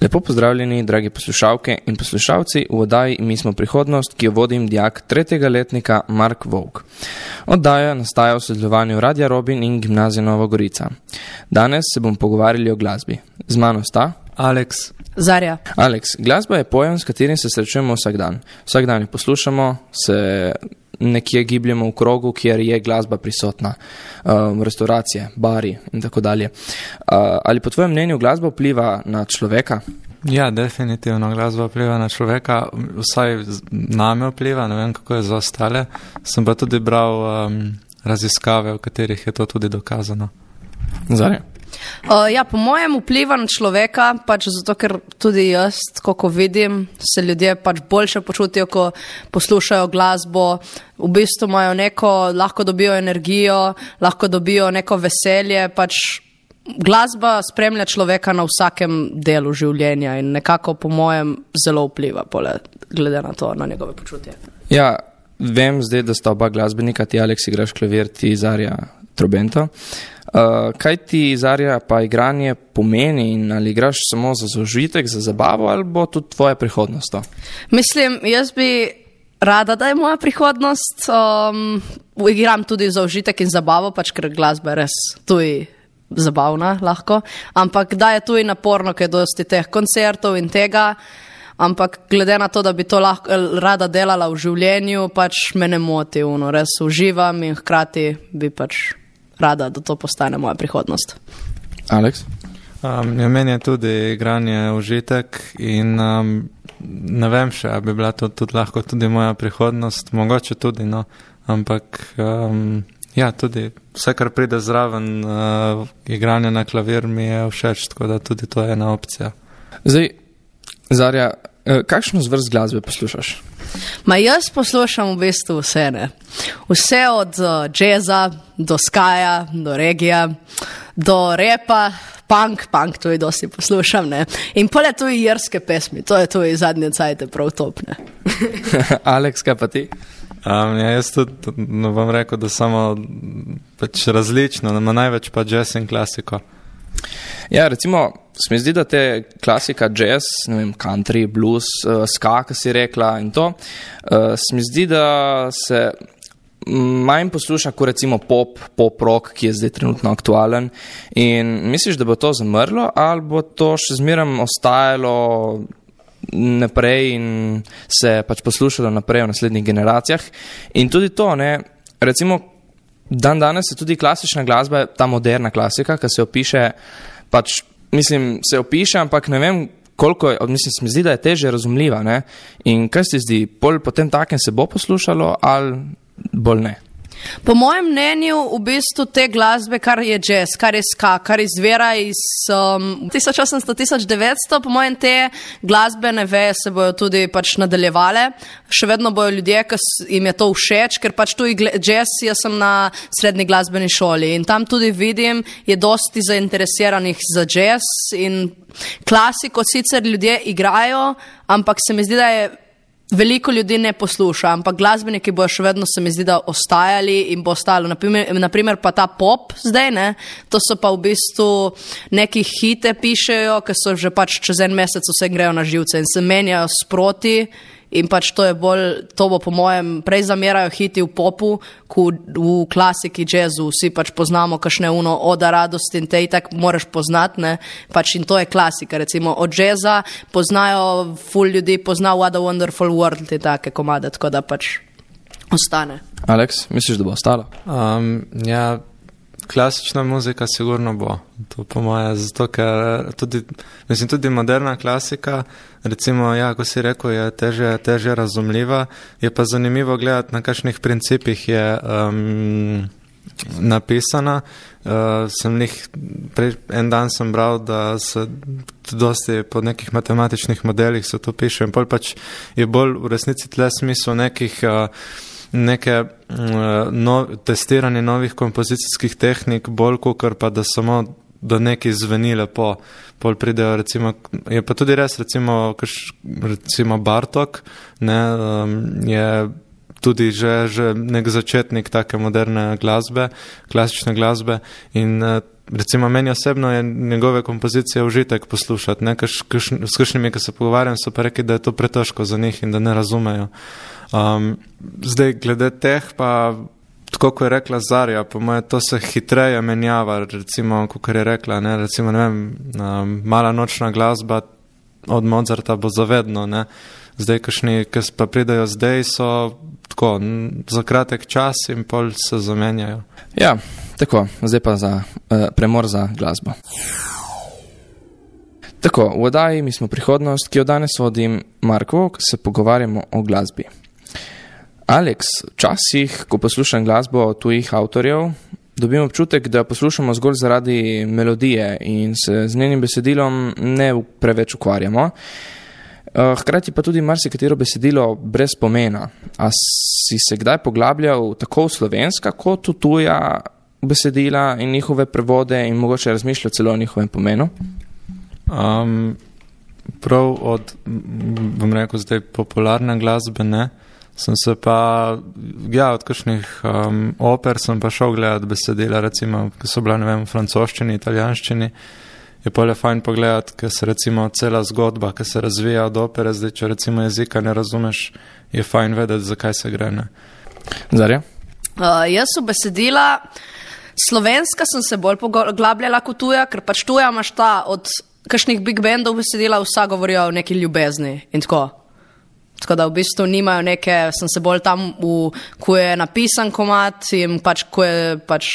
Lepo pozdravljeni, dragi poslušalke in poslušalci, v oddaji Mi smo prihodnost, ki jo vodim dijak 3. letnika Mark Vovk. Oddaja nastaja v sodelovanju Radia Robin in Gimnazije Nova Gorica. Danes se bomo pogovarjali o glasbi. Z mano sta Aleks. Zarja. Aleks, glasba je pojem, s katerim se srečujemo vsak dan. Vsak dan jo poslušamo, se nekje gibljemo v krogu, kjer je glasba prisotna, restauracije, bari in tako dalje. Ali po tvojem mnenju glasba vpliva na človeka? Ja, definitivno glasba vpliva na človeka, vsaj name vpliva, ne vem kako je za ostale. Sem pa tudi bral raziskave, v katerih je to tudi dokazano. Zarja? Ja, po mojem vpliva na človeka, pač zato, ker tudi jaz, ko vidim, se ljudje pač boljše počutijo, ko poslušajo glasbo, v bistvu imajo neko, lahko dobijo energijo, lahko dobijo neko veselje, pač glasba spremlja človeka na vsakem delu življenja in nekako po mojem zelo vpliva, glede na to, na njegove počutje. Ja, vem zdaj, da sta oba glasbenika, ti Aleks igraš klavir, ti Zarja trobento. Kaj ti, Zarja, pa igranje pomeni in ali igraš samo za zaužitek, za zabavo ali bo tudi tvoja prihodnost to? Mislim, jaz bi rada, da je moja prihodnost. Igram tudi za užitek in zabavo, pač ker glasba je res tudi zabavna lahko, ampak da je tudi naporno, ker je dosti teh koncertov in tega, ampak glede na to, da bi to lahko rada delala v življenju, pač me ne moti, res uživam in hkrati bi pač rada, da to postane moja prihodnost. Aleks? Meni je tudi igranje užitek in ne vem še, bi bila to tudi lahko tudi moja prihodnost, mogoče tudi, no, ampak ja, tudi vse, kar pride zraven igranje na klavir mi je všeč, tako da tudi to je ena opcija. Zdaj, Zarja, kakšno zvrst glasbe poslušaš? Jaz poslušam v bistvu vse, ne. Vse od džeza, do skaja, do regija, do repa, punk tudi dosti poslušam, ne. In pole tudi irske pesmi, to je tudi zadnje cajte prav top, ne. Aleks, kaj pa ti? Ja, jaz tudi bom rekel, da samo pač različno, ima največ pa jazz in klasiko. Ja, recimo, se mi zdi, da te klasika, jazz, ne vem, country, blues, ska, ki si rekla in to, se mi zdi, da se manj posluša kot recimo pop rock, ki je zdaj trenutno aktualen. In misliš, da bo to zamrlo ali bo to še zmeraj ostajalo naprej in se pač poslušalo naprej v naslednjih generacijah? In tudi to, ne, recimo, danes je tudi klasična glasba, ta moderna klasika, ki se opiše, pač, mislim, se opiše, ampak ne vem, koliko je, mislim, se mi zdi, da je težje razumljiva, ne? In kaj se zdi, potem takem se bo poslušalo ali bolj ne? Po mojem mnenju v bistvu te glasbe, kar je jazz, kar je ska, kar izvira iz 1800-1900, po mojem te glasbene veje se bojo tudi pač nadaljevale. Še vedno bojo ljudje, ki jim je to všeč, ker pač tudi jazz, jaz sem na srednji glasbeni šoli in tam tudi vidim, je dosti zainteresiranih za jazz in klasiko sicer ljudje igrajo, ampak se mi zdi, da je veliko ljudi ne posluša, ampak glasbeniki bojo še vedno, se mi zdi, da ostajali in bo ostalo. Naprimer pa ta pop zdaj, ne, to so pa v bistvu neki hite pišejo, ki so že pač čez en mesec vse grejo na živce in se menjajo sproti in pač to je bolj, to bo po mojem prej zamerajo hiti v popu, kot v klasiki, jazzu, vsi pač poznamo kakšne Oda radosti in te itak moraš poznati, ne, pač in to je klasika, recimo od jazza poznajo, ful ljudi pozna What a Wonderful World in take komade, tako da pač ostane. Aleks, misliš, da bo ostalo? Ja, klasična muzika sigurno bo, to po moje, zato ker tudi moderna klasika, recimo, ja, ko si rekel, je težje razumljiva, je pa zanimivo gledati, na kakšnih principih je napisana. En dan sem bral, da se dosti po nekih matematičnih modelih se to piše in pol pač je bolj v resnici tle smisel neke testiranje novih kompozicijskih tehnik, bolj kakor pa da samo da nekaj zveni lepo. Pol pridejo, recimo, je pa tudi res, recimo Bartók, ne, je tudi že nek začetnik take moderne glasbe, klasične glasbe in recimo meni osebno je njegove kompozicije užitek poslušati, ne, s kakšnimi, ki se pogovarjam, so pa rekli, da je to pretežko za njih in da ne razumejo. Zdaj, glede teh pa, tako kot je rekla Zarja, po moje to se hitreje menjava, recimo, kot je rekla, ne, recimo, ne vem, mala nočna glasba od Mozarta bo zavedno, ne. Zdaj, kakšni, ki pa pridajo zdaj, so tako, za kratek čas in pol se zamenjajo. Ja, tako, zdaj pa za premor za glasbo. Tako, v oddaji Mi smo prihodnost, ki jo danes vodim Mark Vok, se pogovarjamo o glasbi. Alex, včasih, ko poslušam glasbo tujih avtorjev, dobim občutek, da poslušamo zgolj zaradi melodije in se z njenim besedilom ne preveč ukvarjamo. Hkrati pa tudi marsikatero besedilo brez pomena. A si se kdaj poglabljal tako v slovenska kot v tuja besedila in njihove prevode in mogoče razmišljal celo o njihovem pomenu? Prav od, bom rekel zdaj, popularne glasbe, ne. Sem se pa, ja, od kakšnih oper sem pa šel gledati besedila, recimo, ki so bila, ne vem, v francoščini, italijanščini. Je pole fajn pogledati, ker se recimo cela zgodba, ki se razvija od opere, zdaj, če recimo jezika ne razumeš, je fajn vedeti, zakaj se gre, ne. Zarja? Jaz v besedila, slovenska sem se bolj poglabljala kot tuja, ker pač tuja imaš ta od kakšnih big bandov besedila, vsa govorijo o neki ljubezni in tako. Tako da v bistvu nimajo neke, sem se bolj tam, ko je napisan komad in pač, ko je pač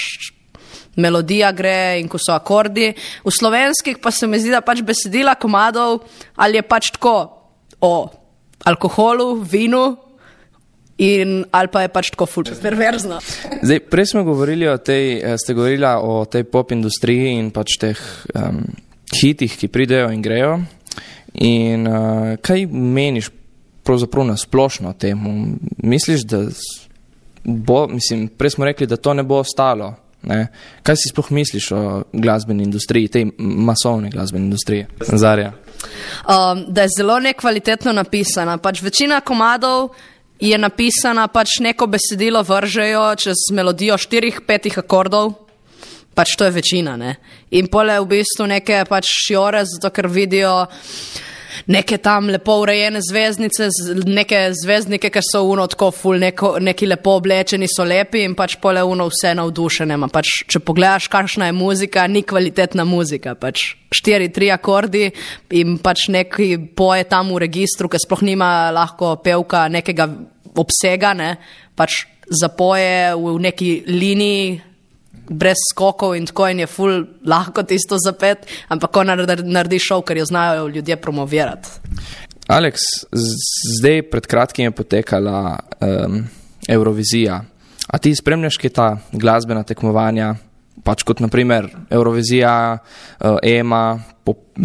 melodija gre in ko so akordi. V slovenskih pa se mi zdi, da pač besedila komadov ali je pač tako o alkoholu, vinu in ali pa je pač tako ful perverzno. Zdaj, prej smo govorili ste govorila o tej pop industriji in pač teh hitih, ki pridejo in grejo. In kaj meniš pravzaprav na splošno temu? Misliš, da bo, prej smo rekli, da to ne bo ostalo, ne? Kaj si sploh misliš o glasbeni industriji, tej masovni glasbeni industriji? Zarja. Da je zelo nekvalitetno napisana. Pač večina komadov je napisana, pač neko besedilo vržejo čez melodijo 4-5 akordov, pač to je večina, ne? In pole v bistvu neke pač šjore, zato ker vidijo neke tam lepo urejene zvezdnice, neke zvezdnike, ker so tako ful, neki lepo oblečeni, so lepi in pač pole vse navdušene. Pač, če pogledaš, kakšna je muzika, ni kvalitetna muzika. Pač 4-3 akordi in pač neki poje tam v registru, ker sploh nima lahko pevka nekega obsega, ne? Pač zapoje v neki liniji, brez skokov in tako in je ful lahko tisto zapet, ampak ko naredi šov, ker jo znajo ljudje promovirati. Alex, zdaj pred kratkim je potekala Eurovizija. A ti spremljaš kaj ta glasbena tekmovanja, pač kot naprimer Eurovizija, EMA,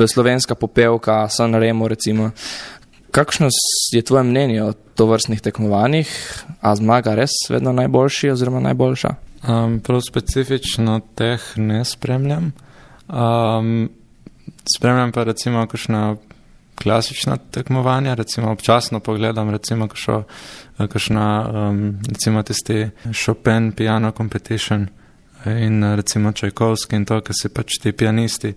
slovenska popevka, Sanremo recimo. Kakšno je tvoje mnenje o tovrstnih tekmovanjih? A zmaga res vedno najboljši oziroma najboljša? Prav specifično teh ne spremljam. Spremljam pa recimo kakšna klasična tekmovanja, recimo občasno pogledam recimo kakšna recimo tisti Chopin piano competition in recimo Čajkovski in to, ki si pač ti pianisti.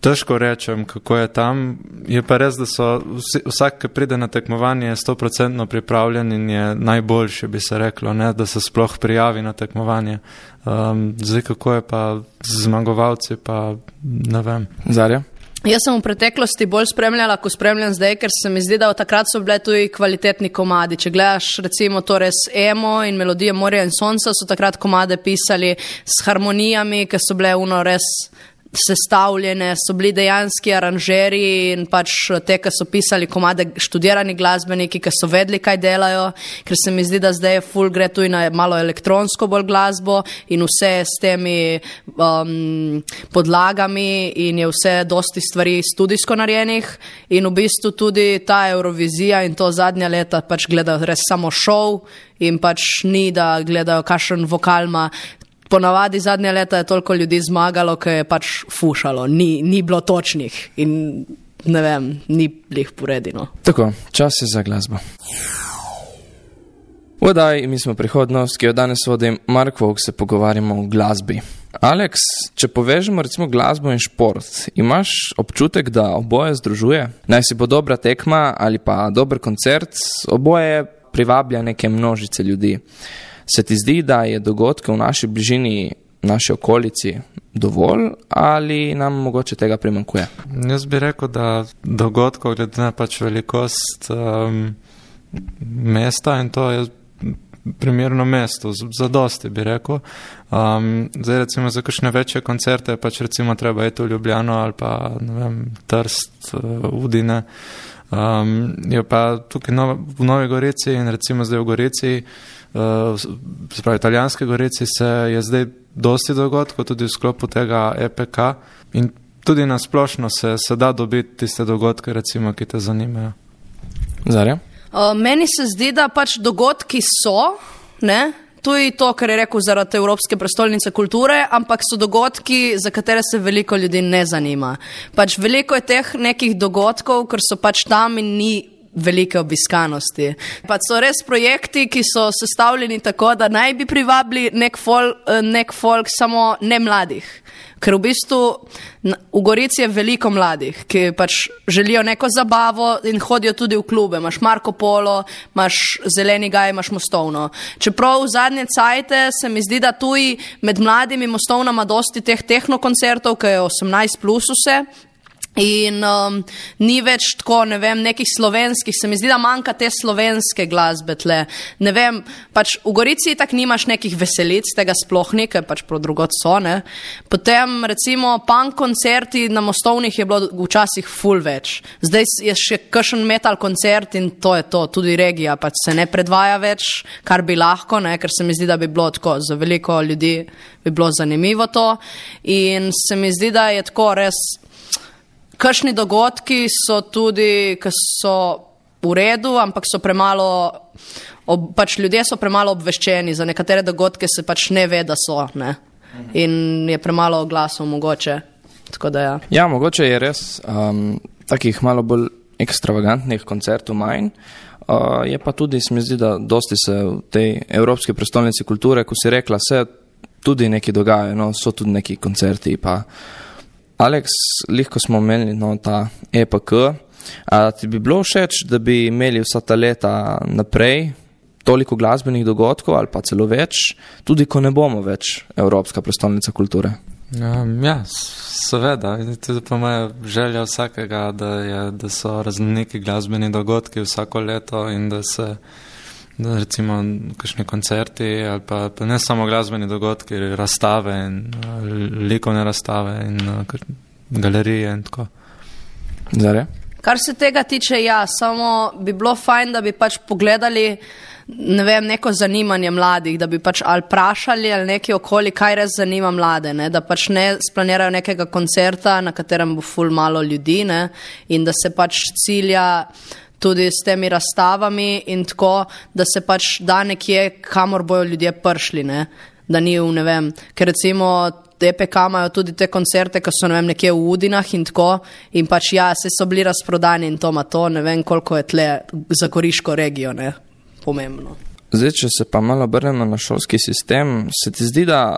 Težko rečem, kako je tam. Je pa res, da so vsak, ki pride na tekmovanje, je 100% pripravljen in je najboljši, bi se reklo, ne, da se sploh prijavi na tekmovanje. Zdaj, kako je pa z zmagovalci, pa ne vem. Zarja? Jaz sem v preteklosti bolj spremljala, ko spremljam zdaj, ker se mi zdi, da od takrat so bile tudi kvalitetni komadi. Če gledaš recimo to res Emo in Melodije morja in sonca, so takrat komade pisali s harmonijami, ki so bile res sestavljene, so bili dejanski aranžeri in pač te, ki so pisali komade, študirani glasbeniki, ki so vedeli, kaj delajo, ker se mi zdi, da zdaj ful gre tudi na malo elektronsko bolj glasbo in vse s temi podlagami in je vse dosti stvari studijsko narejenih in v bistvu tudi ta Eurovizija in to zadnja leta pač gledajo res samo šov in pač ni, da gledajo kakšen vokal ima. Ponavadi zadnja leta je toliko ljudi zmagalo, ki je pač fušalo, ni bilo točnih in ne vem, ni blih poredino. Tako, čas je za glasbo. V oddaji Mi smo prihodnost, ki jo danes vodim Mark Vok, se pogovarjamo o glasbi. Aleks, če povežemo recimo glasbo in šport, imaš občutek, da oboje združuje? Naj si bo dobra tekma ali pa dober koncert, oboje privablja neke množice ljudi. Se ti zdi, da je dogodke v naši bližini, naši okolici dovolj ali nam mogoče tega primanjkuje? Jaz bi rekel, da dogodkov glede na pač velikost mesta in to je primerno mesto, zadosti bi rekel. Zdaj recimo za kakšne večje koncerte pač recimo treba iti v Ljubljano ali pa, ne vem, Trst, Udine. Je pa tukaj v Novi Gorici in recimo zdaj v Gorici, se pravi italijanske Gorici, se je zdaj dosti dogodkov tudi v sklopu tega EPK in tudi na splošno se da dobiti tiste dogodke, recimo, ki te zanimajo. Zarja? Meni se zdi, da pač dogodki so, ne? Tudi to, kar je rekel zaradi Evropske prestolnice kulture, ampak so dogodki, za katere se veliko ljudi ne zanima. Pač veliko je teh nekih dogodkov, ker so pač tam in ni velike obiskanosti. Pač so res projekti, ki so sestavljeni tako, da naj bi privabili nek folk, samo ne mladih. Ker v bistvu v Gorici je veliko mladih, ki pač želijo neko zabavo in hodijo tudi v klube. Imaš Marko Polo, imaš Zeleni gaj, imaš Mostovno. Čeprav v zadnje cajte se mi zdi, da tudi med mladimi Mostovnama dosti teh tehnokoncertov, ki je 18 plus vse, in ni več tako, ne vem, nekih slovenskih, se mi zdi, da manjka te slovenske glasbe tle. Ne vem, pač v Gorici tak nimaš nekih veselic, tega sploh ni, ker pač prav drugot so, ne. Potem recimo punk koncerti na Mostovnih je bilo včasih ful več. Zdaj je še kakšen metal koncert in to je to, tudi regija pač se ne predvaja več, kar bi lahko, ne, ker se mi zdi, da bi bilo tako, za veliko ljudi bi bilo zanimivo to in se mi zdi, da je tako res. Kakšni dogodki so tudi, ki so v redu, ampak so premalo, pač ljudje so premalo obveščeni, za nekatere dogodke se pač ne ve, da so, ne. In je premalo oglasov mogoče, tako da ja. Ja, mogoče je res takih malo bolj ekstravagantnih koncertov manj, je pa tudi, se mi zdi, da dosti se v tej Evropski prestolnici kulture, ko si rekla, se tudi neki dogajajo, no, so tudi neki koncerti pa. Aleks, lahko smo imeli ta EPK, a ti bi bilo všeč, da bi imeli vsa ta leta naprej toliko glasbenih dogodkov ali pa celo več, tudi ko ne bomo več Evropska prestolnica kulture? Ja, seveda, tudi pa moja želja vsakega, da so raznoliki glasbeni dogodki vsako leto in da se recimo kakšni koncerti ali pa ne samo glasbeni dogodki, razstave in likovne razstave in galerije in tako. Zarja? Kar se tega tiče, ja, samo bi bilo fajn, da bi pač pogledali, ne vem, neko zanimanje mladih, da bi pač ali prašali ali neki okoli, kaj res zanima mlade, ne, da pač ne splanirajo nekega koncerta, na katerem bo ful malo ljudi, ne, in da se pač cilja tudi s temi razstavami in tako, da se pač da nekje, kamor bojo ljudje prišli, ne, da ni v, ne vem, ker recimo EPK imajo tudi te koncerte, ki so, ne vem, nekje v Udinah in tako, in pač ja, se so bili razprodani in to ima to, ne vem, koliko je tle za Goriško regijo, ne, pomembno. Zdaj, če se pa malo obrnemo na šolski sistem, se ti zdi, da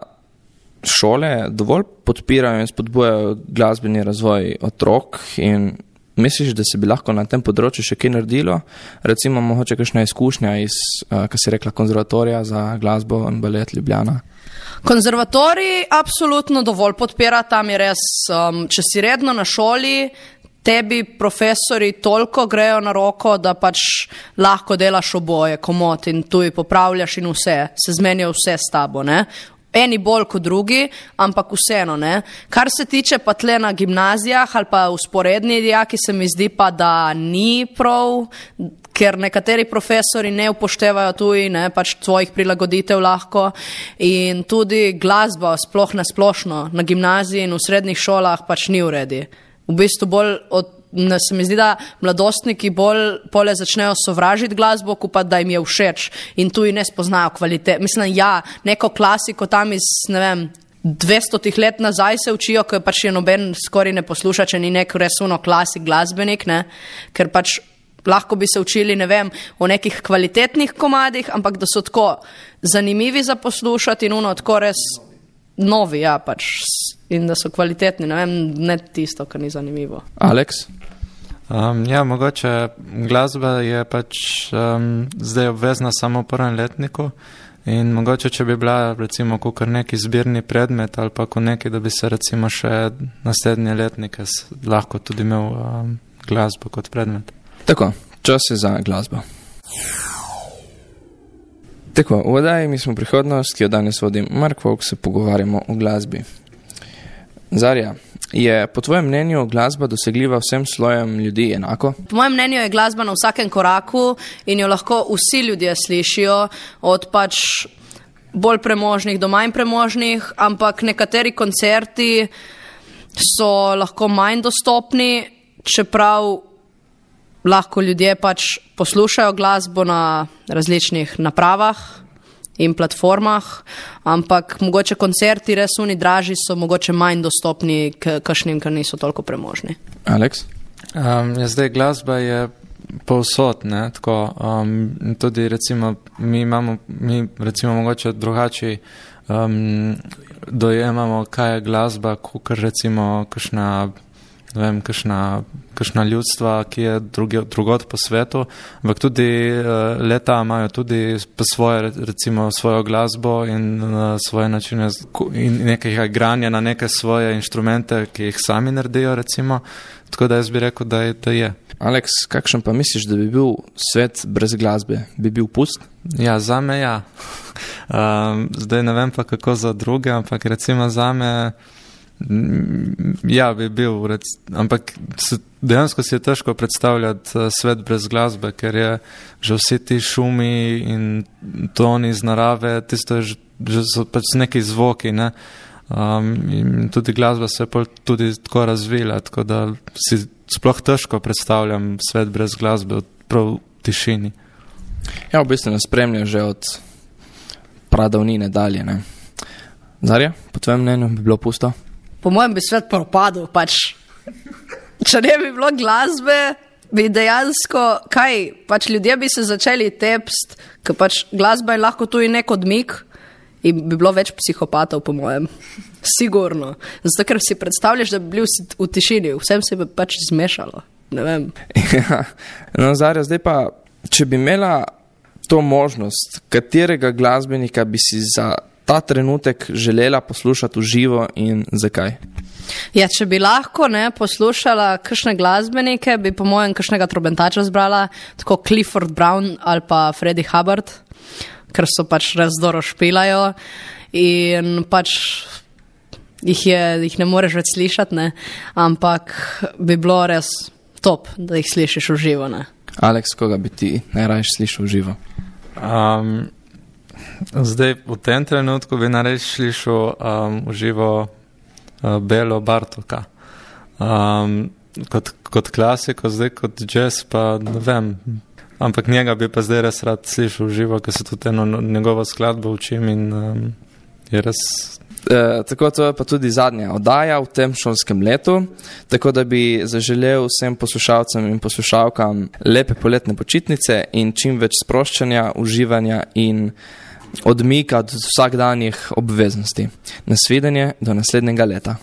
šole dovolj podpirajo in spodbujajo glasbeni razvoj otrok in misliš, da se bi lahko na tem področju še kaj naredilo? Recimo, mogoče kakšna izkušnja iz, kaj si rekla, konzervatorija za glasbo in balet Ljubljana? Konzervatorij absolutno dovolj podpira, tam je res, če si redno na šoli, tebi profesori toliko grejo na roko, da pač lahko delaš oboje, komot in tuj popravljaš in vse, se zmenijo vse s tabo, ne? Eni bolj kot drugi, ampak vseeno, ne. Kar se tiče pa tle na gimnazijah ali pa usporedni dijaki, se mi zdi pa, da ni prav, ker nekateri profesori ne upoštevajo tuji, ne, pač tvojih prilagoditev lahko in tudi glasba sploh na splošno na gimnaziji in v srednjih šolah pač ni v redi. V bistvu bolj se mi zdi, da mladostniki bolj pole začnejo sovražiti glasbo, ko pa da jim je všeč in tuji ne spoznajo kvalitet. Mislim, ja, neko klasiko tam iz, ne vem, 200 let nazaj se učijo, ker pač je noben skoraj ne posluša, če ni nek res uno klasik glasbenik, ne, ker pač lahko bi se učili, ne vem, o nekih kvalitetnih komadih, ampak da so tako zanimivi za poslušati in uno tako res novi, ja, pač, in da so kvalitetni, ne vem, ne tisto, kar ni zanimivo. Aleks? Ja, mogoče glasba je pač zdaj obvezna samo v prvem letniku in mogoče, če bi bila recimo kakor neki zbirni predmet ali pa neki, da bi se recimo še naslednje letnike lahko tudi imel glasbo kot predmet. Tako, čas je za glasbo. Tako, v oddaji Mi smo prihodnost, ki jo danes vodim Mark Vovk, se pogovarjamo o glasbi. Zarja, je po tvojem mnenju glasba dosegljiva vsem slojem ljudi enako? Po mojem mnenju je glasba na vsakem koraku in jo lahko vsi ljudje slišijo, od pač bolj premožnih do manj premožnih, ampak nekateri koncerti so lahko manj dostopni, čeprav lahko ljudje pač poslušajo glasbo na različnih napravah in platformah, ampak mogoče koncerti res oni dražji so mogoče manj dostopni kakšnim, ker niso toliko premožni. Aleks? Zdaj glasba je povsod, ne, tako, tudi recimo mi recimo mogoče drugače dojemamo, kaj je glasba, kakor recimo kakšna ljudstva, ki je drugod po svetu, ampak tudi leta imajo tudi svojo glasbo in svoje načine in nekaj igranja na neke svoje inštrumente, ki jih sami naredijo, recimo. Tako da jaz bi rekel, da je. Aleks, kakšen pa misliš, da bi bil svet brez glasbe? Bi bil pust? Ja, zame ja. Zdaj ne vem pa kako za druge, ampak recimo zame ja, bi bil, ampak dejansko si je težko predstavljati svet brez glasbe, ker je že vsi ti šumi in toni iz narave, tisto je že so pač neki zvoki, ne? In tudi glasba se je tudi tako razvila, tako da si sploh težko predstavljam svet brez glasbe, prav v tišini. Ja, v bistvu nas spremlja že od pradavnine dalje, ne? Zarja, po tvojem mnenju bi bilo pusto? Po mojem bi svet propadel, pač, če ne bi bilo glasbe, bi dejansko, pač ljudje bi se začeli tepst, ker pač glasba je lahko tudi nek odmik in bi bilo več psihopatov, po mojem. Sigurno. Zato, ker si predstavljaš, da bi bil v tišini, vsem se bi pač zmešalo, ne vem. Ja, no, Zarja, zdaj pa, če bi imela to možnost, katerega glasbenika bi si za ta trenutek želela poslušati v živo in zakaj? Ja, če bi lahko poslušala kakšne glasbenike, bi po mojem kakšnega trobentača zbrala, tako Clifford Brown ali pa Freddie Hubbard, ker so pač res dobro špilajo in pač jih ne moreš več slišati, ne? Ampak bi bilo res top, da jih slišiš v živo. Ne? Aleks, koga bi ti najraje slišal v živo? Zdaj, v tem trenutku bi nareč slišal v živo Belo Bartoka. Kot klasiko, zdaj kot jazz pa ne vem, ampak njega bi pa zdaj res rad slišal v živo, ker se tudi eno njegovo skladbo učim in je res... Tako, to je pa tudi zadnja oddaja v tem šolskem letu, tako da bi zaželel vsem poslušalcem in poslušalkam lepe poletne počitnice in čim več sproščanja, uživanja in odmika od vsakdanjih obveznosti. Nasvidenje do naslednjega leta.